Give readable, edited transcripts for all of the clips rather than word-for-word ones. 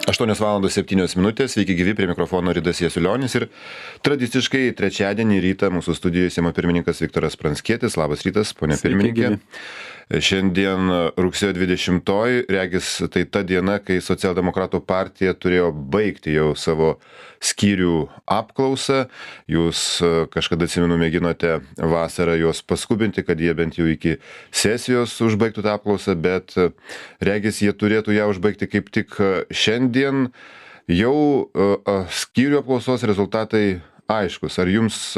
8:07. Sveiki gyvi, prie mikrofono Ridas Jasiulionis ir tradiciškai trečiadienį rytą mūsų studijoje Seimo pirmininkas Viktoras Pranckietis. Labas rytas, ponia pirmininkė. Šiandien rugsėjo 20, regis tai ta diena, kai Socialdemokratų partija turėjo baigti jau savo skyrių apklausą. Jūs kažkada, atsimenu, mėginote vasarą juos paskubinti, kad jie bent jau iki sesijos užbaigtų tą apklausą, bet regis jie turėtų ją užbaigti kaip tik šiandien. Jau skyrių apklausos rezultatai aiškus. Ar jums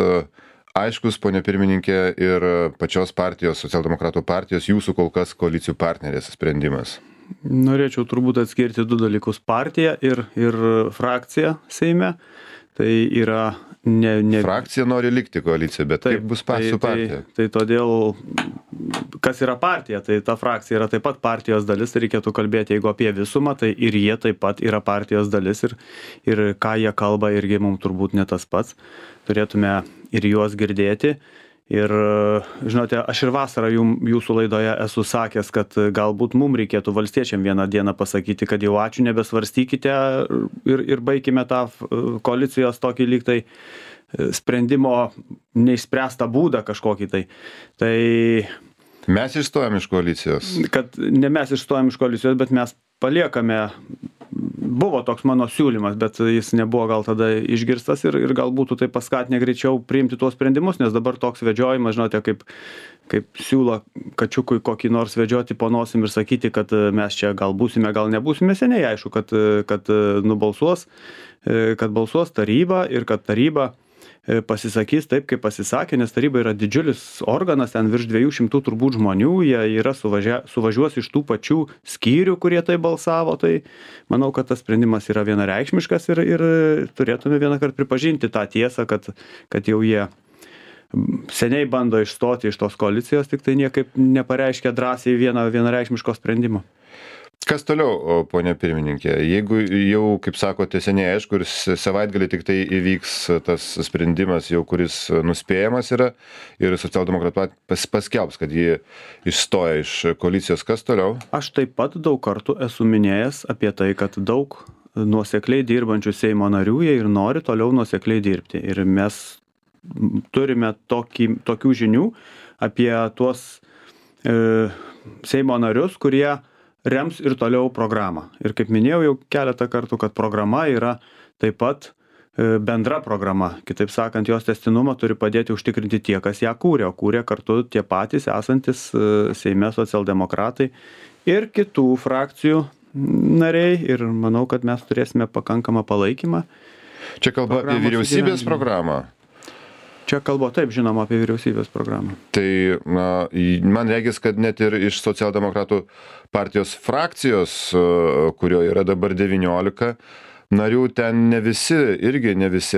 aiškus, ponia pirmininkė, ir pačios partijos, Socialdemokratų partijos, jūsų kol kas koalicijų partnerės sprendimas? Norėčiau turbūt atskirti du dalykus - partiją ir frakciją Seime. Tai yra ne... Frakcija nori likti koalicijoje, bet kaip bus su partija? Tai todėl, kas yra partija, tai ta frakcija yra taip pat partijos dalis, tai reikėtų kalbėti, jeigu apie visumą, tai ir jie taip pat yra partijos dalis ir ką jie kalba irgi mums turbūt ne tas pats. Turėtume ir juos girdėti. Ir, žinote, aš ir vasarą jūsų laidoje esu sakęs, kad galbūt mums reikėtų valstiečiam vieną dieną pasakyti, kad jau ačiū, nebesvarstykite ir baigime tą koalicijos tokį lyg tai sprendimo neišspręstą būdą kažkokį tai. Tai mes išstojam iš koalicijos. Kad ne mes išstojam iš koalicijos, bet mes paliekame. Buvo toks mano siūlymas, bet jis nebuvo gal tada išgirstas ir gal būtų tai paskatinę greičiau priimti tuos sprendimus, nes dabar toks vedžiojimas, žinote, kaip siūlo kačiukui kokį nors vedžioti po nosim ir sakyti, kad mes čia gal būsime, gal nebūsime, seniai aišku, kad balsuos taryba ir kad taryba pasisakys taip, kaip pasisakė, nes taryba yra didžiulis organas, ten virš 200 turbūt žmonių, jie yra suvažiuos iš tų pačių skyrių, kurie tai balsavo, tai manau, kad tas sprendimas yra vienareikšmiškas ir turėtume vieną kartą pripažinti tą tiesą, kad jau jie seniai bando išstoti iš tos koalicijos, tik tai niekaip nepareiškia drąsiai vienareikšmiško sprendimo. Kas toliau, ponia pirmininkė? Jeigu jau, kaip sakote, seniai aišku, ir savaitgalį tik tai įvyks tas sprendimas, jau kuris nuspėjamas yra, ir Socialdemokratų paskelbs, kad jie išstoja iš koalicijos, kas toliau? Aš taip pat daug kartų esu minėjęs apie tai, kad daug nuosekliai dirbančių Seimo narių jie ir nori toliau nuosekliai dirbti. Ir mes turime tokių žinių apie tuos Seimo narius, kurie rems ir toliau programą. Ir kaip minėjau jau keletą kartų, kad programa yra taip pat bendra programa. Kitaip sakant, jos tęstinumą turi padėti užtikrinti tie, kas ją kūrė, o kūrė kartu tie patys esantis Seime socialdemokratai ir kitų frakcijų nariai. Ir manau, kad mes turėsime pakankamą palaikymą. Čia kalba apie vyriausybės programą. Čia kalba taip, žinoma, apie vyriausybės programą. Tai man regis, kad net ir iš Socialdemokratų partijos frakcijos, kurio yra dabar 19 narių, ten ne visi,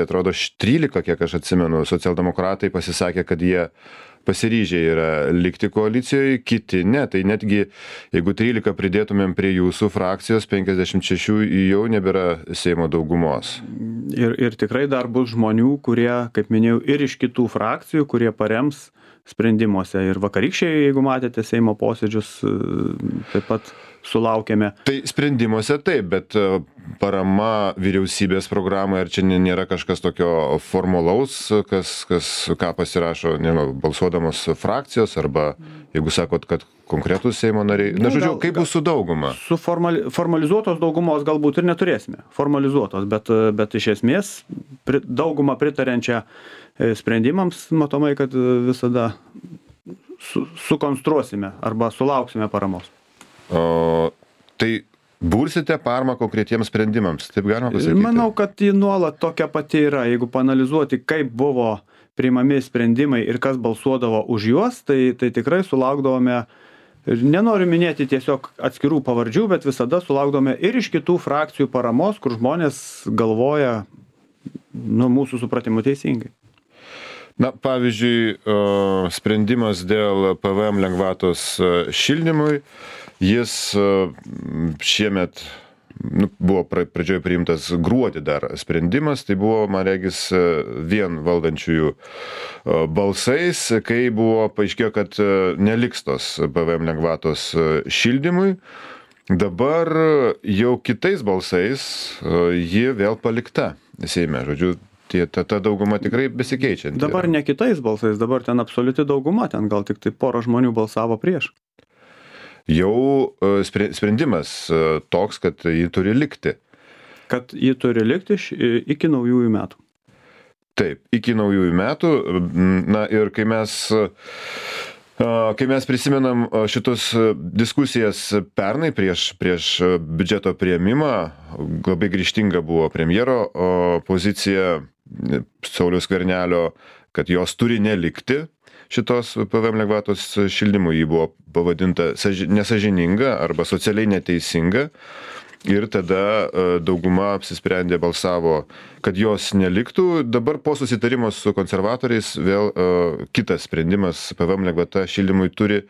atrodo 13, kiek aš atsimenu, socialdemokratai pasisakė, kad jie pasiryžę yra likti koalicijoje, kiti ne. Tai netgi, jeigu 13 pridėtumėm prie jūsų frakcijos, 56 jau nebėra Seimo daugumos. Ir tikrai dar bus žmonių, kurie, kaip minėjau, ir iš kitų frakcijų, kurie parems sprendimuose. Ir vakarykščiai, jeigu matėte Seimo posėdžius, taip pat sulaukėme. Tai sprendimuose taip, bet parama vyriausybės programai, ar čia nėra kažkas tokio formalaus, ką pasirašo, balsuodamos frakcijos, arba jeigu sakot, kad konkretus Seimo nariai. Na, žodžiu, kaip bus su dauguma? Su formalizuotos daugumos galbūt ir neturėsime. Formalizuotos, bet iš esmės daugumą pritarenčią sprendimams, matomai, kad visada sukonstruosime arba sulauksime paramos. Tai bursite paramą konkretiems sprendimams, taip galima pasakyti? Manau, kad ji nuolat tokia pati yra. Jeigu paanalizuoti, kaip buvo priimami sprendimai ir kas balsuodavo už juos, tai tikrai sulaukdavome, nenoriu minėti tiesiog atskirų pavardžių, bet visada sulaukdavome ir iš kitų frakcijų paramos, kur žmonės galvoja, mūsų supratimu teisingai. Na, pavyzdžiui, sprendimas dėl PVM lengvatos šildymui, jis šiemet buvo pradžioje priimtas gruodį dar sprendimas, tai buvo, man regis, vien valdančiųjų balsais, kai buvo paaiškėjo, kad neliks tos PVM lengvatos šildymui. Dabar jau kitais balsais ji vėl palikta Seime. Žodžiu, ta dauguma tikrai besikeičianti. Dabar ne kitais balsais, dabar ten absoliuti dauguma, ten gal tik tai pora žmonių balsavo prieš. Jau sprendimas toks, kad ji turi likti. Kad ji turi likti iki naujųjų metų. Taip, iki naujųjų metų. Na ir kai mes prisimenam šitus diskusijas pernai prieš biudžeto priėmimą, labai grįžtinga buvo premjero pozicija Sauliaus Skvernelio, kad jos turi nelikti šitos PVM lengvatos šildymui. Ji buvo pavadinta nesąžininga arba socialiai neteisinga. Ir tada dauguma apsisprendė, balsavo, kad jos neliktų. Dabar po susitarimo su konservatoriais vėl kitas sprendimas, PVM lengvata šildymui turi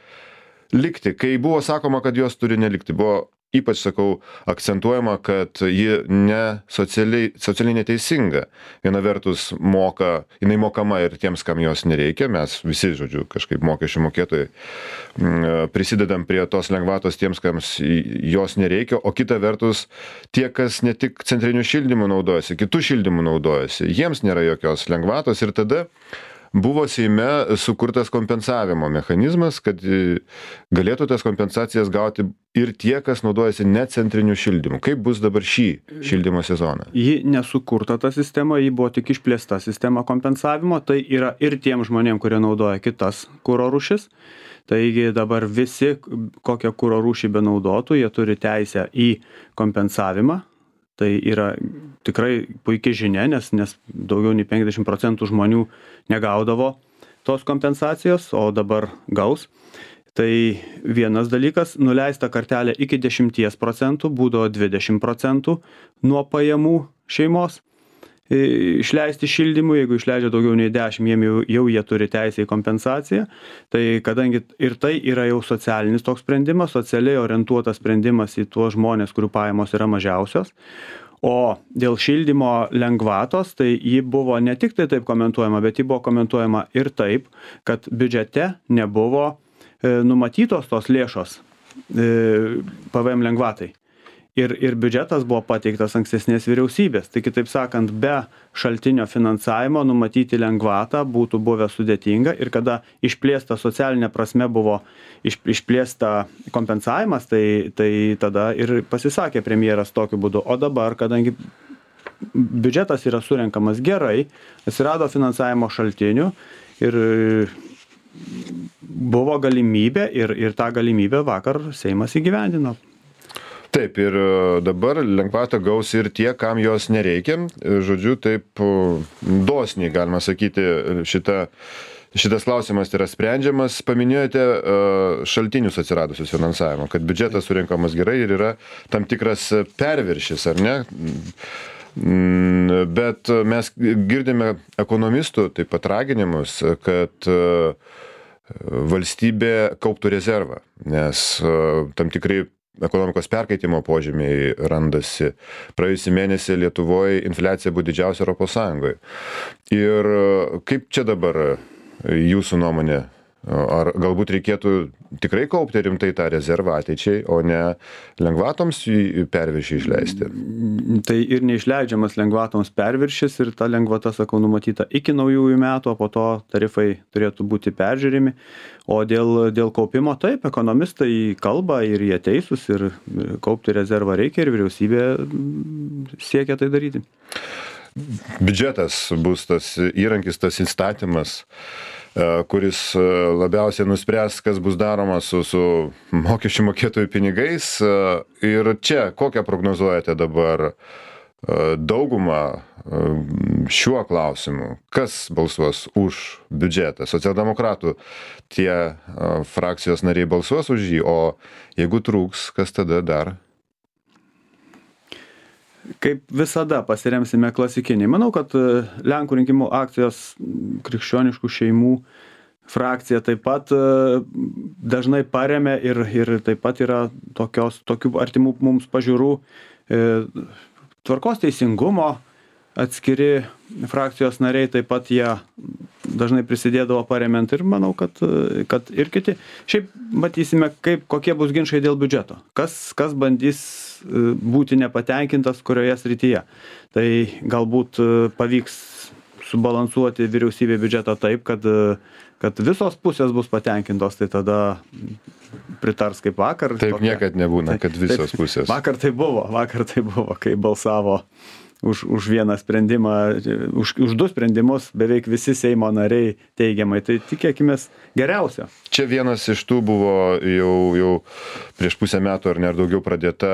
likti. Kai buvo sakoma, kad jos turi nelikti, buvo ypač, sakau, akcentuojama, kad ji ne socialiai neteisinga. Viena vertus jinai mokama ir tiems, kam jos nereikia. Mes visi, žodžiu, kažkaip mokesčių mokėtojai prisidedam prie tos lengvatos tiems, kam jos nereikia, o kita vertus tie, kas ne tik centriniu šildymu naudojasi, kitų šildymų naudojasi, jiems nėra jokios lengvatos. Ir tada buvo Seime sukurtas kompensavimo mechanizmas, kad galėtų tas kompensacijas gauti ir tie, kas naudojasi ne centriniu šildymu. Kaip bus dabar šį šildymo sezoną? Ji nesukurta ta sistema, ji buvo tik išplėsta sistema kompensavimo, tai yra ir tiem žmonėm, kurie naudoja kitas kuro rūšis. Taigi dabar visi, kokią kuro rūšį benaudotų, jie turi teisę į kompensavimą. Tai yra tikrai puikia žinia, nes daugiau nei 50% žmonių negaudavo tos kompensacijos, o dabar gaus. Tai vienas dalykas, nuleista kartelė iki 10%, būdavo 20% nuo pajamų šeimos išleisti šildymui. Jeigu išleidžia daugiau nei 10, jau jie turi teisę į kompensaciją. Tai kadangi ir tai yra jau socialinis toks sprendimas, socialiai orientuotas sprendimas į tuos žmonės, kurių pajamos yra mažiausios. O dėl šildymo lengvatos, tai ji buvo ne tik tai taip komentuojama, bet ji buvo komentuojama ir taip, kad biudžete nebuvo numatytos tos lėšos PVM lengvatai. Ir biudžetas buvo pateiktas ankstesnės vyriausybės. Tai kitaip sakant, be šaltinio finansavimo numatyti lengvatą būtų buvę sudėtinga, ir kada išplėsta socialinė prasme buvo išplėsta kompensavimas, tai tada ir pasisakė premjeras tokiu būdu. O dabar, kadangi biudžetas yra surenkamas gerai, atsirado finansavimo šaltinių ir buvo galimybė, ir tą galimybę vakar Seimas įgyvendino. Taip, ir dabar lengvatą gaus ir tie, kam jos nereikia. Žodžiu, taip dosniai, galima sakyti, šitas klausimas yra sprendžiamas. Paminėjote šaltinius atsiradusius finansavimo, kad biudžetas surinkamas gerai ir yra tam tikras perviršis, ar ne? Bet mes girdime ekonomistų taip pat raginimus, kad valstybė kauptų rezervą, nes tam tikrai ekonomikos perkaitimo požymiai randasi. Praėjusį mėnesį Lietuvoje infliacija buvo didžiausia Europos Sąjungoje. Ir kaip čia dabar jūsų nuomonė? Ar galbūt reikėtų tikrai kaupti rimtai tą rezervą ateičiai, o ne lengvatoms perviršį išleisti? Tai ir neišleidžiamas lengvatoms perviršis, ir ta lengvata, sakau, numatyta iki naujųjų metų, o po to tarifai turėtų būti peržiūrimi. O dėl kaupimo, taip, ekonomistai kalba ir jie teisūs, ir kaupti rezervą reikia, ir vyriausybė siekia tai daryti. Biudžetas bus tas įrankis, tas įstatymas, kuris labiausiai nuspręs, kas bus daroma su mokesčių mokėtojų pinigais. Ir čia kokią prognozuojate dabar daugumą šiuo klausimu? Kas balsuos už biudžetą? Socialdemokratų tie frakcijos nariai balsuos už jį, o jeigu trūks, kas tada dar? Kaip visada pasiremsime klasikinį. Manau, kad Lenkų rinkimų akcijos krikščioniškų šeimų frakcija taip pat dažnai paremia ir taip pat yra tokių artimų mums pažiūrų. Tvarkos teisingumo atskiri frakcijos nariai taip pat jie dažnai prisidėdavo paremiant ir manau, kad ir kiti. Šiaip matysime, kokie bus ginčai dėl biudžeto. Kas bandys būti nepatenkintas kurioje srityje. Tai galbūt pavyks subalansuoti vyriausybė biudžetą taip, kad visos pusės bus patenkintos, tai tada pritars kaip vakar. Taip niekad nebūna, kad visos pusės. Vakar tai buvo, kai balsavo už vieną sprendimą, už du sprendimus beveik visi Seimo nariai teigiamai. Tai tikėkimės geriausio. Čia vienas iš tų buvo jau prieš pusę metų ar daugiau pradėta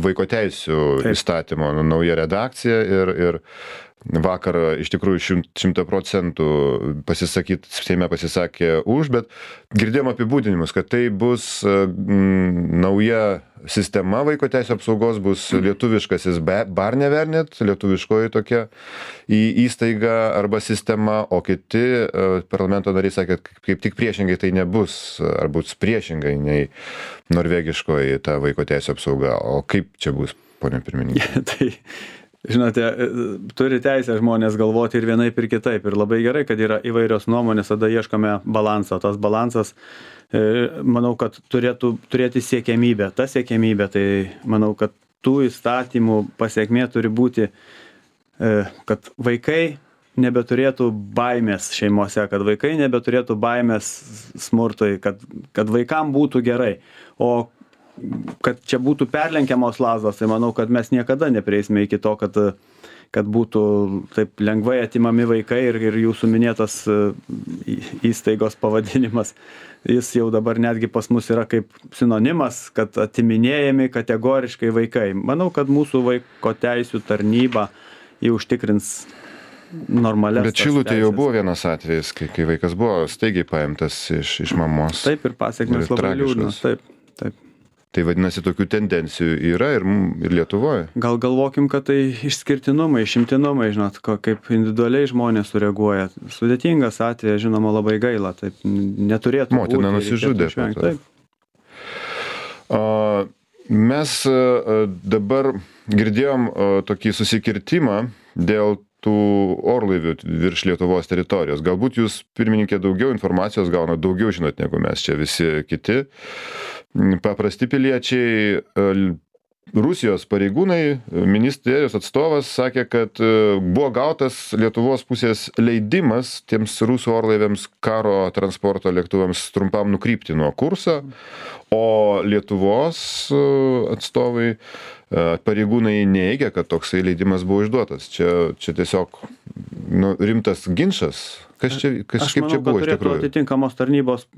vaiko teisių įstatymo nauja redakcija ir vakar iš tikrųjų 100% Seime pasisakė už, bet girdėjom apibūdinimus, kad tai bus nauja sistema vaiko teisių apsaugos, bus lietuviškasis Barnevernet, lietuviškoji tokia įstaiga arba sistema, o kiti parlamento nariai sakė, kaip tik priešingai tai nebus, ar bus priešingai nei norvegiškoji ta vaiko teisių apsauga. O kaip čia bus, ponia pirmininkė? Tai žinote, turi teisę žmonės galvoti ir vienaip ir kitaip. Ir labai gerai, kad yra įvairios nuomonės, tada ieškome balansą. Tas balansas, manau, kad turėtų turėti siekiamybę. Ta siekiamybė, tai manau, kad tų įstatymų pasiekmė turi būti, kad vaikai nebeturėtų baimės šeimose, kad vaikai nebeturėtų baimės smurtui, kad vaikam būtų gerai. O kad čia būtų perlenkiamos lazdos, tai manau, kad mes niekada neprieisime iki to, kad būtų taip lengvai atimami vaikai ir jūsų minėtas įstaigos pavadinimas, jis jau dabar netgi pas mus yra kaip sinonimas, kad atiminėjami kategoriškai vaikai. Manau, kad mūsų vaiko teisių tarnyba jį užtikrins normalias. Bet Šilutė jau buvo vienas atvejis, kai vaikas buvo staigiai paimtas iš mamos. Taip, ir pasiekmės labai liūdnos. Taip. Tai vadinasi, tokių tendencijų yra ir Lietuvoje. Gal galvokim, kad tai išskirtinumai, išimtinumai, žinot, kaip individualiai žmonės sureaguoja. Sudėtingas atvejas, žinoma, labai gaila, taip neturėtų būti. Motina nusižudė. Taip. Mes dabar girdėjom tokį susikirtimą dėl tų orlaivių virš Lietuvos teritorijos. Galbūt jūs, pirmininkė, daugiau informacijos gauna, daugiau žinot negu mes čia visi kiti. Paprasti piliečiai, Rusijos pareigūnai, ministerijos atstovas sakė, kad buvo gautas Lietuvos pusės leidimas tiems rusų orlaiviams karo transporto lėktuvams trumpam nukrypti nuo kurso, o Lietuvos atstovai pareigūnai neigia, kad toksai leidimas buvo išduotas. Čia tiesiog rimtas ginčas. Kaip čia buvo iš tikrųjų? Aš manau, kad turėtų atitinkamos tarnybos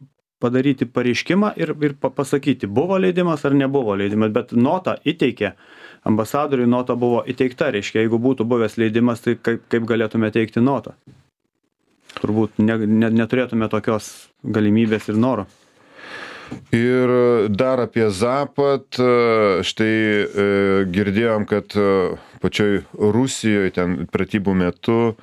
padaryti pareiškimą ir pasakyti, buvo leidimas ar nebuvo leidimas, bet nota įteikė, ambasadoriui nota buvo įteikta, reiškia, jeigu būtų buvęs leidimas, tai kaip galėtume teikti notą? Turbūt neturėtume tokios galimybės ir noro. Ir dar apie Zapad, štai girdėjom, kad pačioj Rusijoje ten pratybų metu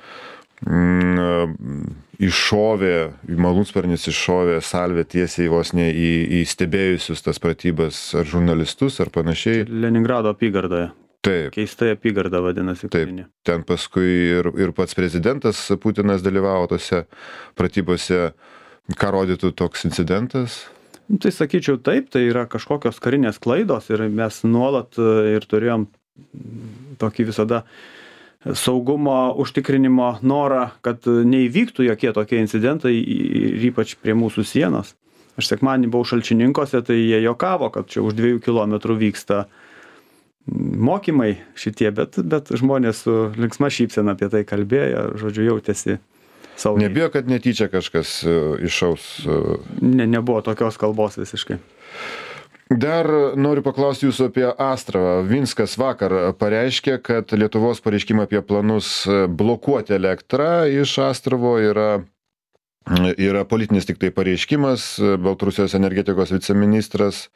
malūnsparnis iššovė salvę tiesiai vos ne į stebėjusius tas pratybas ar žurnalistus ar panašiai. Leningrado apygardoje. Taip. Keistai apygarda vadinasi. Taip. Ten paskui ir pats prezidentas Putinas dalyvavo tose pratybose. Ką rodytų toks incidentas? Tai sakyčiau taip, tai yra kažkokios karinės klaidos ir mes nuolat ir turėjom tokį visada saugumo užtikrinimo norą, kad neįvyktų jokie tokie incidentai ir ypač prie mūsų sienos. Aš sekmadienį buvau Šalčininkose, tai jie juokavo, kad čia už 2 kilometrų vyksta mokymai šitie, bet žmonės su linksma šypsena apie tai kalbėjo, žodžiu, jautėsi saugiai. Nebijo, kad netyčia kažkas iššaus? Nebuvo tokios kalbos visiškai. Dar noriu paklausti jūsų apie Astravą. Vinskas vakar pareiškė, kad Lietuvos pareiškimą apie planus blokuoti elektrą iš Astravo yra politinis tik tai pareiškimas. Baltarusijos energetikos viceministras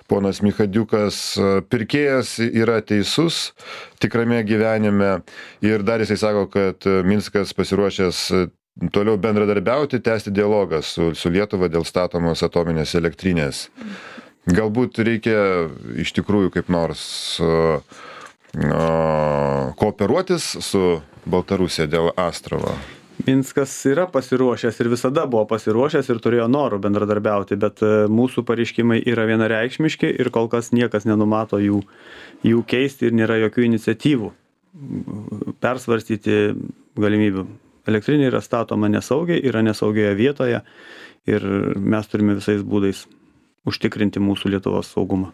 ponas Michadiukas, pirkėjas yra teisus tikrame gyvenime ir dar jisai sako, kad Minskas pasiruošęs toliau bendradarbiauti, tęsti dialogą su Lietuva dėl statomos atominės elektrinės. Galbūt reikia iš tikrųjų kaip nors kooperuotis su Baltarusija dėl Astravo. Minskas yra pasiruošęs ir visada buvo pasiruošęs ir turėjo norų bendradarbiauti, bet mūsų pareiškimai yra vienareikšmiški ir kol kas niekas nenumato jų keisti ir nėra jokių iniciatyvų persvarstyti galimybių. Elektrinė yra statoma nesaugiai, yra nesaugioje vietoje ir mes turime visais būdais užtikrinti mūsų Lietuvos saugumą.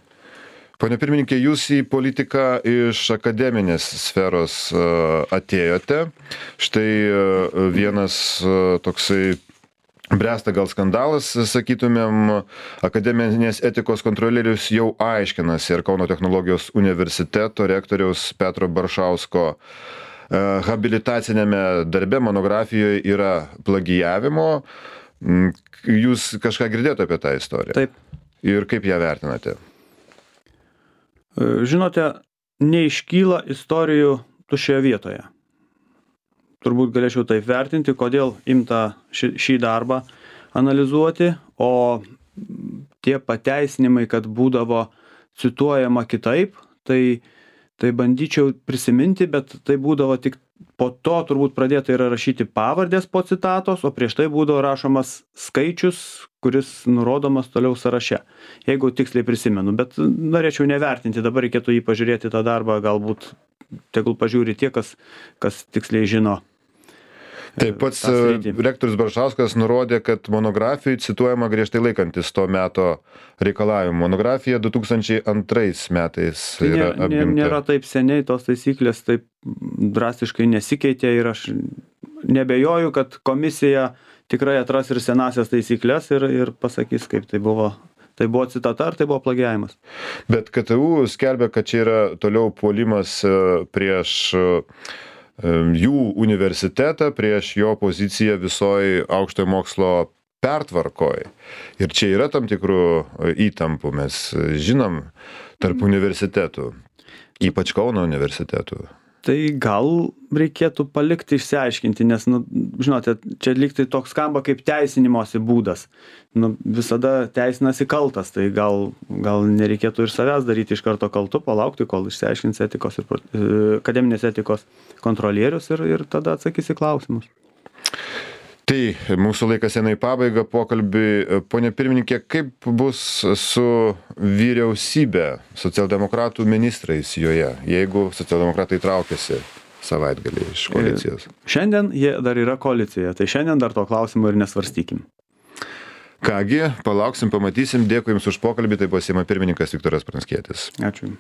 Pone pirmininkė, jūs į politiką iš akademinės sferos atėjote. Štai vienas toksai bręsta gal skandalas, sakytumėm, akademinės etikos kontrolierius jau aiškinasi ir Kauno technologijos universiteto rektoriaus Petro Baršausko habilitacinėme darbe monografijoje yra plagijavimo. Jūs kažką girdėjote apie tą istoriją? Taip. Ir kaip ją vertinate? Žinote, neiškyla istorijų tuščioje vietoje. Turbūt galėčiau taip vertinti, kodėl imta šį darbą analizuoti, o tie pateisinimai, kad būdavo cituojama kitaip, tai bandyčiau prisiminti, bet tai būdavo tik po to turbūt pradėta yra rašyti pavardės po citatos, o prieš tai būdavo rašomas skaičius, kuris nurodomas toliau sąraše. Jeigu tiksliai prisimenu, bet norėčiau nevertinti, dabar reikėtų jį pažiūrėti tą darbą, galbūt tegul pažiūri tie, kas tiksliai žino. Taip pats rektorius Baršauskas nurodė, kad monografijai cituojama griežtai laikantis to meto reikalavimų. Monografija 2002 metais yra apimta. Nėra taip seniai, tos taisyklės taip drastiškai nesikeitė ir aš nebejoju, kad komisija tikrai atras ir senasias taisyklės ir pasakys, kaip tai buvo. Tai buvo citata ar tai buvo plagiavimas? Bet KTU skelbia, kad čia yra toliau puolimas prieš jų universitetą, prieš jo poziciją visoj aukštojo mokslo pertvarkoj. Ir čia yra tam tikrų įtampų, mes žinom, tarp universitetų, ypač Kauno universitetų. Tai gal reikėtų palikti išsiaiškinti, nes, žinote, čia lyg tai toks skamba kaip teisinimosi būdas. Visada teisinasi kaltas, tai gal nereikėtų ir savęs daryti iš karto kaltu, palaukti, kol išsiaiškins akademinės etikos kontrolierius ir tada atsakys į klausimus. Tai mūsų laikas eina į pabaigą pokalbį. Pone pirmininkė, kaip bus su vyriausybė, socialdemokratų ministrais joje, jeigu socialdemokratai traukiasi savaitgalį iš koalicijos? Šiandien jie dar yra koalicijoje, tai šiandien dar to klausimo ir nesvarstykim. Kągi, palauksim, pamatysim. Dėkui Jums už pokalbį, tai buvo Seimo pirmininkas Viktoras Pranckietis. Ačiū.